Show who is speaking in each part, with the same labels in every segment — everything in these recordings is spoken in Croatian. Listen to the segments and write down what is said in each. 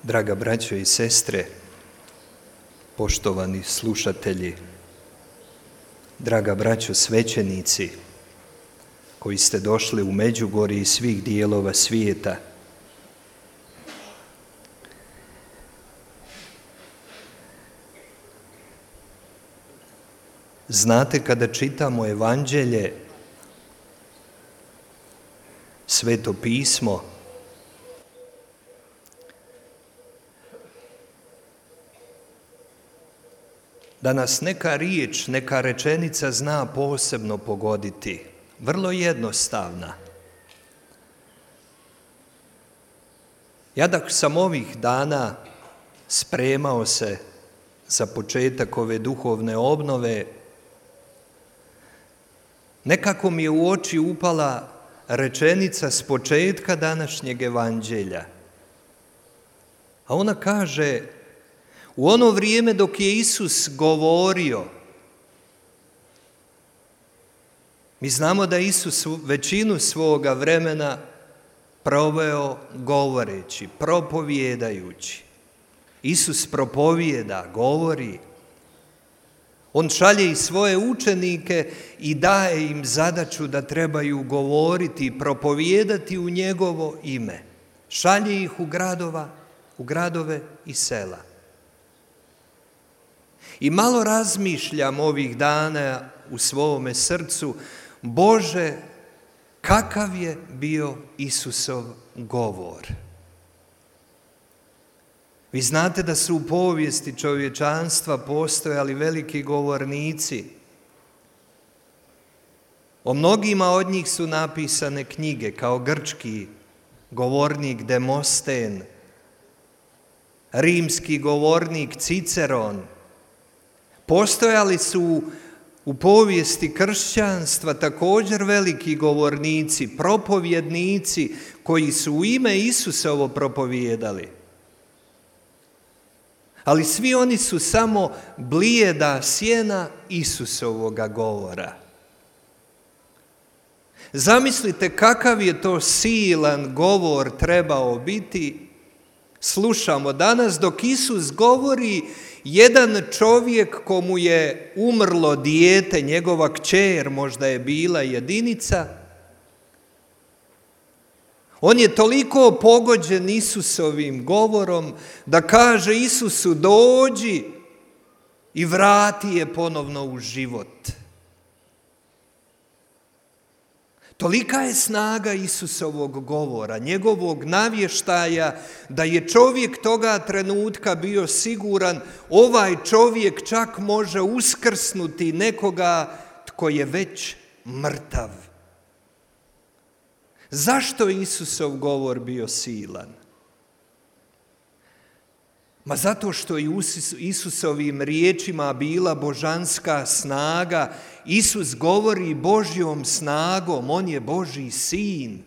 Speaker 1: Draga braćo i sestre, poštovani slušatelji, draga braćo svećenici koji ste došli u Međugorje iz svih dijelova svijeta, znate, kada čitamo Evanđelje, Sveto pismo, da nas neka riječ, neka rečenica zna posebno pogoditi, vrlo jednostavna. Ja dok sam ovih dana spremao se za početak ove duhovne obnove, nekako mi je u oči upala rečenica s početka današnjeg Evanđelja. A ona kaže: u ono vrijeme dok je Isus govorio, mi znamo da Isus većinu svoga vremena proveo govoreći, propovijedajući. Isus propovijeda, govori. On šalje i svoje učenike i daje im zadaću da trebaju govoriti i propovijedati u njegovo ime. Šalje ih u gradove i sela. I malo razmišljam ovih dana u svome srcu, Bože, kakav je bio Isusov govor. Vi znate da su u povijesti čovječanstva postojali veliki govornici. O mnogima od njih su napisane knjige, kao grčki govornik Demosten, rimski govornik Ciceron. Postojali su u povijesti kršćanstva također veliki govornici, propovjednici koji su u ime Isusovo propovijedali. Ali svi oni su samo blijeda sjena Isusovoga govora. Zamislite kakav je to silan govor trebao biti. Slušamo danas dok Isus govori, jedan čovjek komu je umrlo dijete, njegova kćer možda je bila jedinica, on je toliko pogođen Isusovim govorom da kaže Isusu: dođi i vrati je ponovno u život. Tolika je snaga Isusovog govora, njegovog navještaja, da je čovjek toga trenutka bio siguran, ovaj čovjek čak može uskrsnuti nekoga tko je već mrtav. Zašto je Isusov govor bio silan? Ma zato što je Isusovim riječima bila božanska snaga. Isus govori Božjom snagom, on je Božji sin.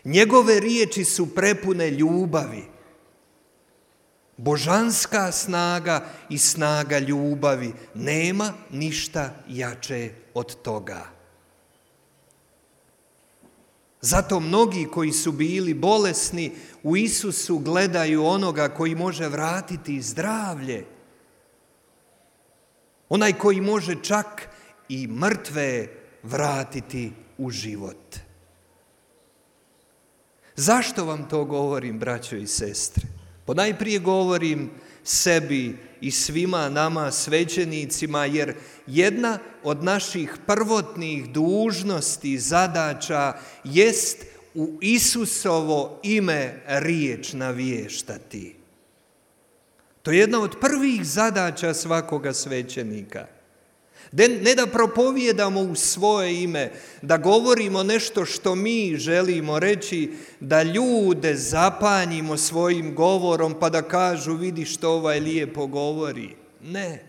Speaker 1: Njegove riječi su prepune ljubavi. Božanska snaga i snaga ljubavi, nema ništa jače od toga. Zato mnogi koji su bili bolesni u Isusu gledaju onoga koji može vratiti zdravlje. Onaj koji može čak i mrtve vratiti u život. Zašto vam to govorim, braćo i sestre? Ponajprije govorim sebi i svima nama svećenicima, jer jedna od naših prvotnih dužnosti, zadaća jest u Isusovo ime riječ navještati. To je jedna od prvih zadaća svakoga svećenika. Ne da propovijedamo u svoje ime, da govorimo nešto što mi želimo reći, da ljude zapanjimo svojim govorom pa da kažu: vidi što ovaj lijepo govori. Ne.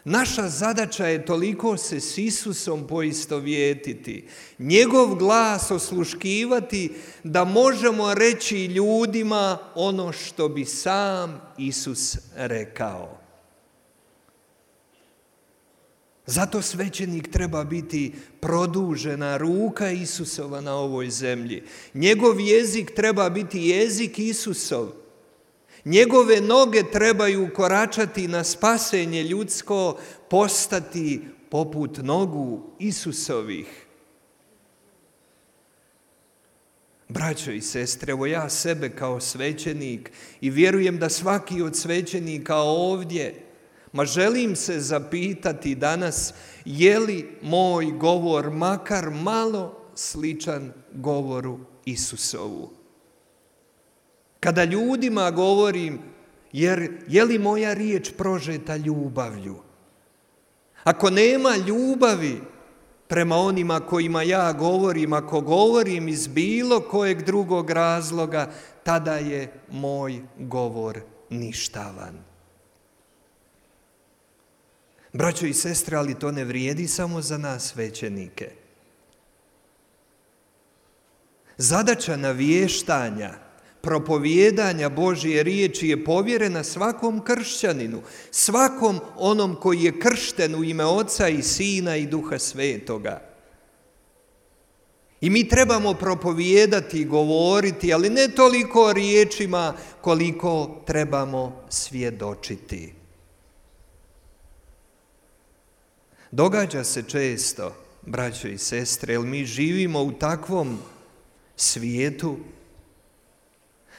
Speaker 1: Naša zadaća je toliko se s Isusom poistovjetiti, njegov glas osluškivati, da možemo reći ljudima ono što bi sam Isus rekao. Zato svećenik treba biti produžena ruka Isusova na ovoj zemlji. Njegov jezik treba biti jezik Isusov. Njegove noge trebaju koračati na spasenje ljudsko, postati poput nogu Isusovih. Braćo i sestre, evo ja sebe kao svećenik i vjerujem da svaki od svećenika ovdje, želim se zapitati danas, je li moj govor makar malo sličan govoru Isusovu? Kada ljudima govorim, je li moja riječ prožeta ljubavlju? Ako nema ljubavi prema onima kojima ja govorim, ako govorim iz bilo kojeg drugog razloga, tada je moj govor ništavan. Braćo i sestre, ali to ne vrijedi samo za nas svećenike. Zadaća navještanja, propovijedanja Božje riječi je povjerena svakom kršćaninu, svakom onom koji je kršten u ime Oca i Sina i Duha Svetoga. I mi trebamo propovijedati i govoriti, ali ne toliko riječima koliko trebamo svjedočiti. Događa se često, braćo i sestre, jer mi živimo u takvom svijetu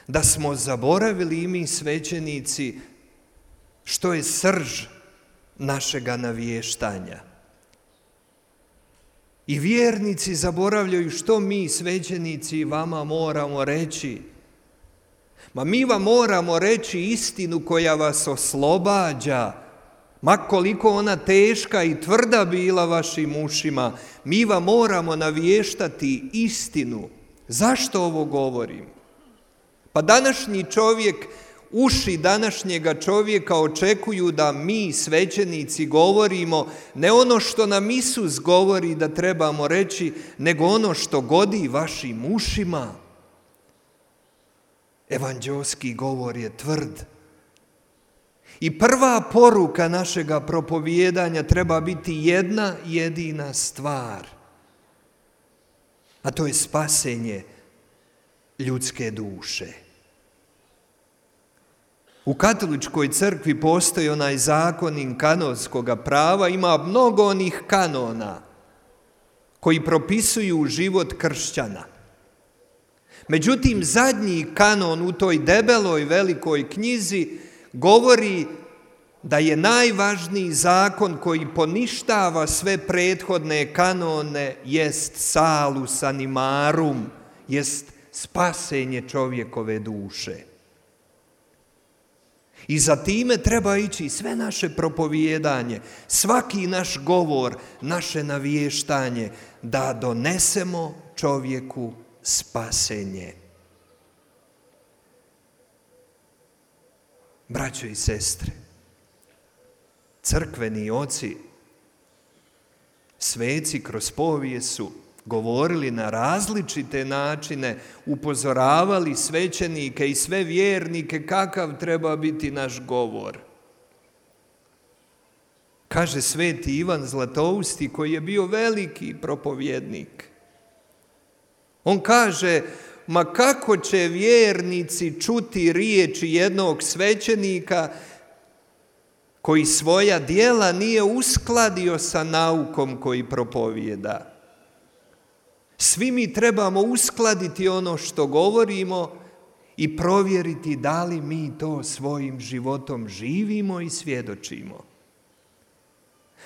Speaker 1: da smo zaboravili i mi svećenici što je srž našega navještanja. I vjernici zaboravljaju što mi svećenici vama moramo reći. Mi vam moramo reći istinu koja vas oslobađa, ma koliko ona teška i tvrda bila vašim ušima, mi vam moramo navještati istinu. Zašto ovo govorim? Pa današnji čovjek, uši današnjega čovjeka očekuju da mi, svećenici, govorimo ne ono što nam Isus govori da trebamo reći, nego ono što godi vašim ušima. Evanđeoski govor je tvrd. I prva poruka našega propovijedanja treba biti jedna jedina stvar, a to je spasenje ljudske duše. U katoličkoj crkvi postoji onaj zakonik kanonskoga prava, ima mnogo onih kanona koji propisuju život kršćana. Međutim, zadnji kanon u toj debeloj velikoj knjizi govori da je najvažniji zakon koji poništava sve prethodne kanone jest salus animarum, jest spasenje čovjekove duše. I za time treba ići sve naše propovijedanje, svaki naš govor, naše navještanje, da donesemo čovjeku spasenje. Braćo i sestre, crkveni oci, sveci kroz povijest su govorili na različite načine, upozoravali svećenike i sve vjernike kakav treba biti naš govor. Kaže sveti Ivan Zlatousti, koji je bio veliki propovjednik. On kaže, ma kako će vjernici čuti riječi jednog svećenika koji svoja djela nije uskladio sa naukom koji propovijeda. Svi mi trebamo uskladiti ono što govorimo i provjeriti da li mi to svojim životom živimo i svjedočimo.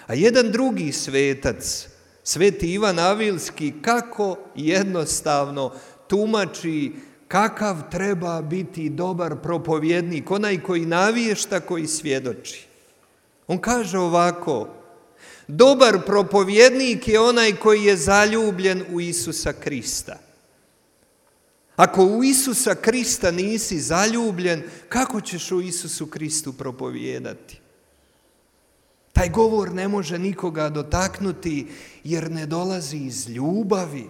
Speaker 1: A jedan drugi svetac, sveti Ivan Avilski, kako jednostavno tumači kakav treba biti dobar propovjednik, onaj koji navješta, koji svjedoči. On kaže ovako, dobar propovjednik je onaj koji je zaljubljen u Isusa Krista. Ako u Isusa Krista nisi zaljubljen, kako ćeš u Isusu Kristu propovijedati? Taj govor ne može nikoga dotaknuti jer ne dolazi iz ljubavi.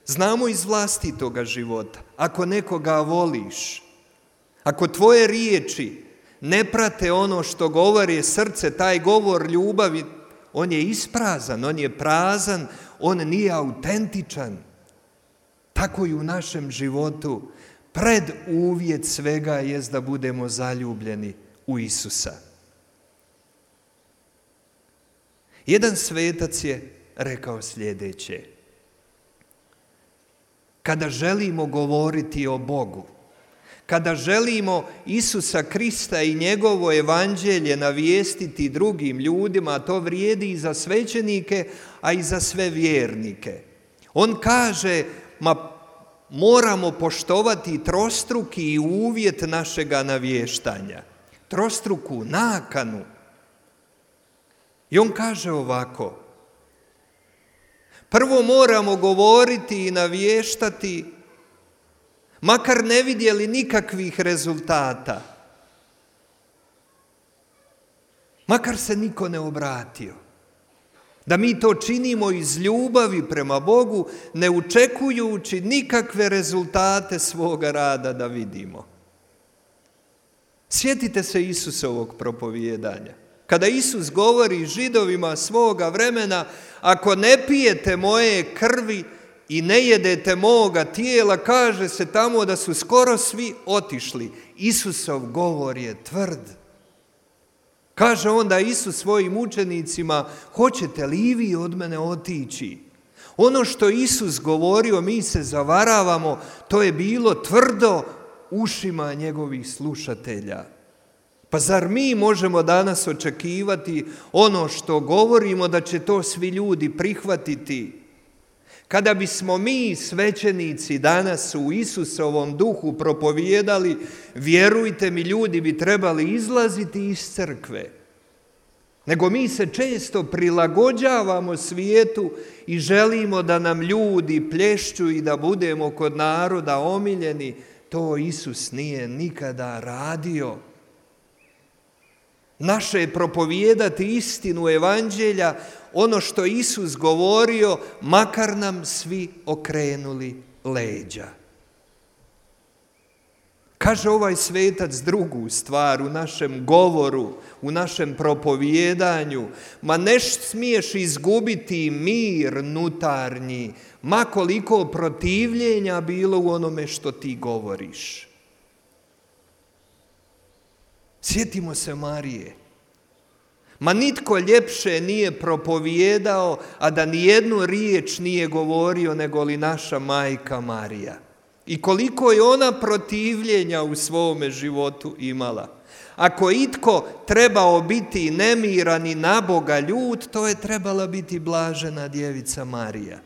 Speaker 1: Znamo iz vlastitoga života. Ako nekoga voliš, ako tvoje riječi ne prate ono što govori srce, taj govor ljubavi, on je isprazan, on je prazan, on nije autentičan. Tako i u našem životu preduvjet svega jest da budemo zaljubljeni u Isusa. Jedan svetac je rekao sljedeće: kada želimo govoriti o Bogu, kada želimo Isusa Krista i njegovo evanđelje navijestiti drugim ljudima, a to vrijedi i za svećenike, a i za sve vjernike. On kaže, moramo poštovati trostruki uvjet našega navještanja, trostruku nakanu. I on kaže ovako: prvo moramo govoriti i navještati, makar ne vidjeli nikakvih rezultata, makar se niko ne obratio. Da mi to činimo iz ljubavi prema Bogu, ne očekujući nikakve rezultate svoga rada da vidimo. Sjetite se Isusovog propovijedanja. Kada Isus govori Židovima svoga vremena, ako ne pijete moje krvi i ne jedete moga tijela, kaže se tamo da su skoro svi otišli. Isusov govor je tvrd. Kaže onda Isus svojim učenicima, hoćete li i vi od mene otići? Ono što Isus govorio, mi se zavaravamo, to je bilo tvrdo ušima njegovih slušatelja. Pa zar mi možemo danas očekivati ono što govorimo da će to svi ljudi prihvatiti? Kada bismo mi svećenici danas u Isusovom duhu propovijedali, vjerujte mi, ljudi bi trebali izlaziti iz crkve. Nego mi se često prilagođavamo svijetu i želimo da nam ljudi plješću i da budemo kod naroda omiljeni. To Isus nije nikada radio. Naše je propovijedati istinu evanđelja, ono što Isus govorio, makar nam svi okrenuli leđa. Kaže ovaj svetac drugu stvar u našem govoru, u našem propovijedanju: ma ne smiješ izgubiti mir nutarnji, ma koliko protivljenja bilo u onome što ti govoriš. Sjetimo se Marije. Ma nitko ljepše nije propovijedao, a da nijednu riječ nije govorio nego li naša majka Marija. I koliko je ona protivljenja u svome životu imala. Ako itko trebao biti nemiran i na Boga ljut, to je trebala biti blažena djevica Marija.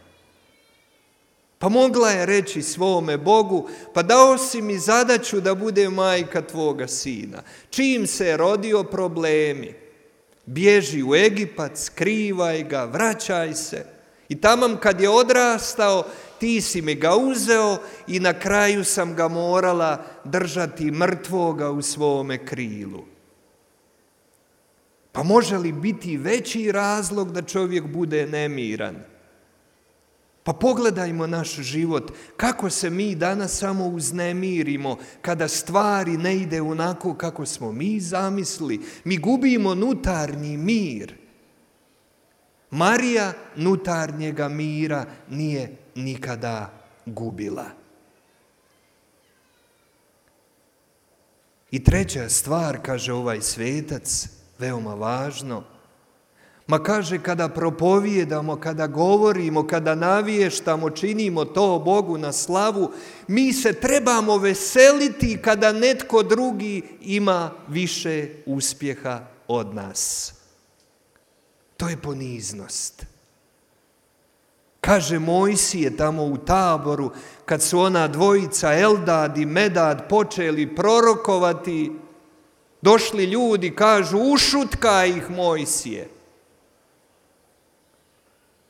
Speaker 1: Pa mogla je reći svome Bogu, pa dao si mi zadaću da bude majka tvoga sina. Čim se je rodio, problemi. Bježi u Egipat, skrivaj ga, vraćaj se. I taman kad je odrastao, ti si mi ga uzeo i na kraju sam ga morala držati mrtvoga u svome krilu. Pa može li biti veći razlog da čovjek bude nemiran? Pa pogledajmo naš život, kako se mi danas samo uznemirimo kada stvari ne ide onako kako smo mi zamislili. Mi gubimo nutarnji mir. Marija nutarnjega mira nije nikada gubila. I treća stvar, kaže ovaj svetac, veoma važno, ma kaže, kada propovijedamo, kada govorimo, kada navještamo, činimo to Bogu na slavu, mi se trebamo veseliti kada netko drugi ima više uspjeha od nas. To je poniznost. Kaže Mojsije tamo u Taboru, kad su ona dvojica Eldad i Medad počeli prorokovati, došli ljudi, kažu, ušutkaj ih Mojsije.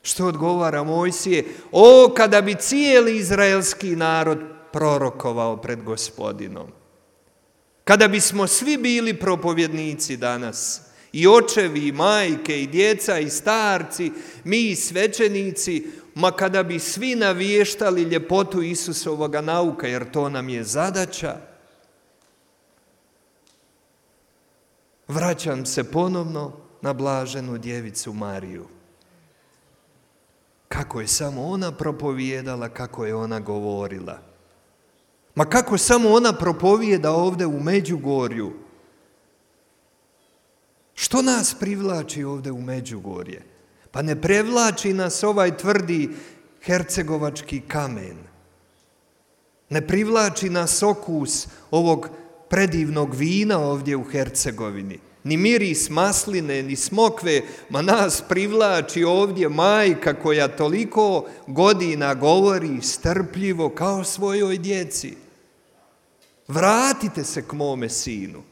Speaker 1: Što odgovara Mojsije? O, kada bi cijeli izraelski narod prorokovao pred Gospodinom. Kada bismo svi bili propovjednici danas, i očevi, i majke, i djeca, i starci, mi svećenici, ma kada bi svi navještali ljepotu Isusovoga nauka, jer to nam je zadaća. Vraćam se ponovno na blaženu djevicu Mariju. Kako je samo ona propovijedala, kako je ona govorila. Ma kako samo ona propovijeda ovdje u Međugorju. Što nas privlači ovdje u Međugorje? Pa ne prevlači nas ovaj tvrdi hercegovački kamen. Ne privlači nas okus ovog predivnog vina ovdje u Hercegovini. Ni miris masline, ni smokve, ma nas privlači ovdje majka koja toliko godina govori strpljivo kao svojoj djeci. Vratite se k mome sinu.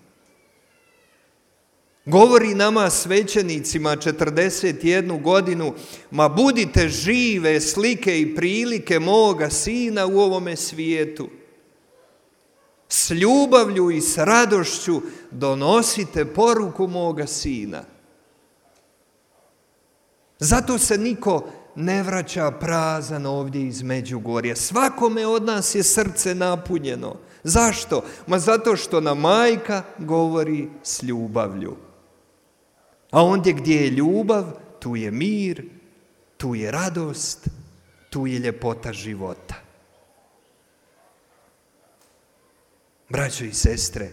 Speaker 1: Govori nama svećenicima 41 godinu, ma budite žive slike i prilike moga sina u ovome svijetu. S ljubavlju i s radošću donosite poruku moga sina. Zato se niko ne vraća prazan ovdje iz Međugorja. Svakome od nas je srce napunjeno. Zašto? Ma zato što nam majka govori s ljubavlju. A ondje gdje je ljubav, tu je mir, tu je radost, tu je ljepota života. Braćo i sestre,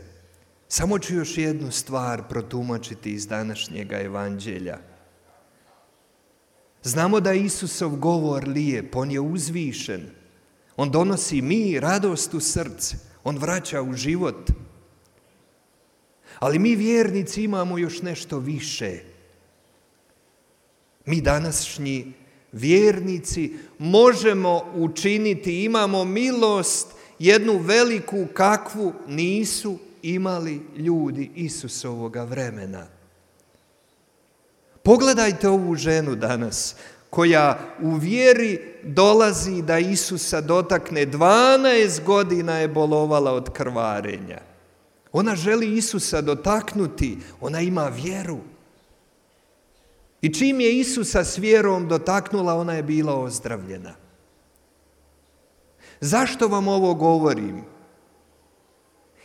Speaker 1: samo ću još jednu stvar protumačiti iz današnjega evanđelja. Znamo da je Isusov govor lijep, on je uzvišen, on donosi mir, radost u srce, on vraća u život. Ali mi vjernici imamo još nešto više. Mi današnji vjernici možemo učiniti, imamo milost jednu veliku kakvu nisu imali ljudi Isusovoga vremena. Pogledajte ovu ženu danas koja u vjeri dolazi da Isusa dotakne. 12 godina je bolovala od krvarenja. Ona želi Isusa dotaknuti, ona ima vjeru. I čim je Isusa s vjerom dotaknula, ona je bila ozdravljena. Zašto vam ovo govorim?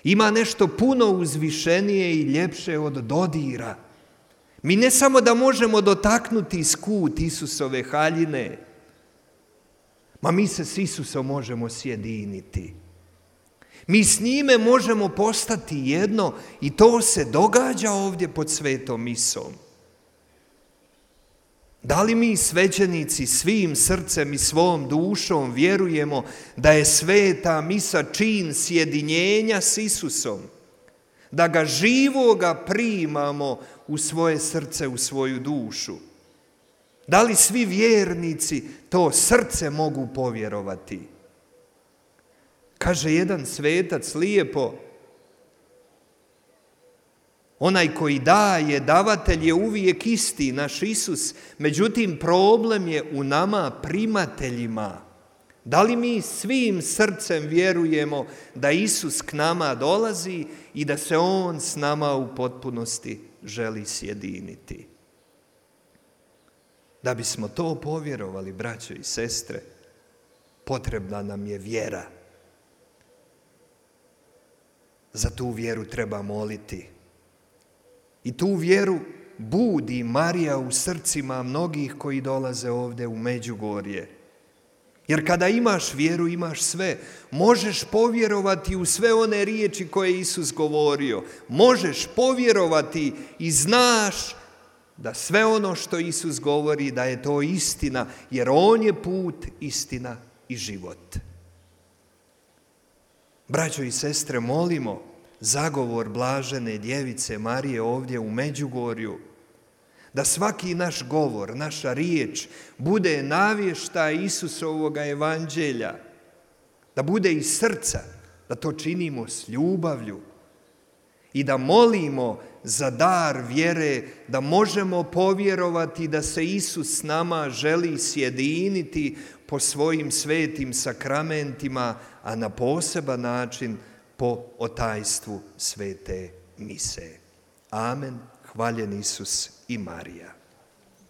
Speaker 1: Ima nešto puno uzvišenije i ljepše od dodira. Mi ne samo da možemo dotaknuti skut Isusove haljine, ma mi se s Isusom možemo sjediniti. Mi s njime možemo postati jedno i to se događa ovdje pod svetom misom. Da li mi svećenici svim srcem i svom dušom vjerujemo da je sveta misa čin sjedinjenja s Isusom? Da ga živoga primamo u svoje srce, u svoju dušu? Da li svi vjernici to srce mogu povjerovati? Kaže jedan svetac lijepo, onaj koji daje, davatelj je uvijek isti, naš Isus, međutim problem je u nama primateljima. Da li mi svim srcem vjerujemo da Isus k nama dolazi i da se On s nama u potpunosti želi sjediniti? Da bismo to povjerovali, braćo i sestre, potrebna nam je vjera. Za tu vjeru treba moliti. I tu vjeru budi Marija u srcima mnogih koji dolaze ovdje u Međugorje. Jer kada imaš vjeru, imaš sve. Možeš povjerovati u sve one riječi koje je Isus govorio. Možeš povjerovati i znaš da sve ono što Isus govori, da je to istina, jer On je put, istina i život. Braćo i sestre, molimo zagovor blažene djevice Marije ovdje u Međugorju, da svaki naš govor, naša riječ bude navještaj Isusovoga evanđelja, da bude iz srca, da to činimo s ljubavlju i da molimo za dar vjere, da možemo povjerovati da se Isus s nama želi sjediniti po svojim svetim sakramentima, a na poseban način po otajstvu svete mise. Amen. Hvaljen Isus i Marija.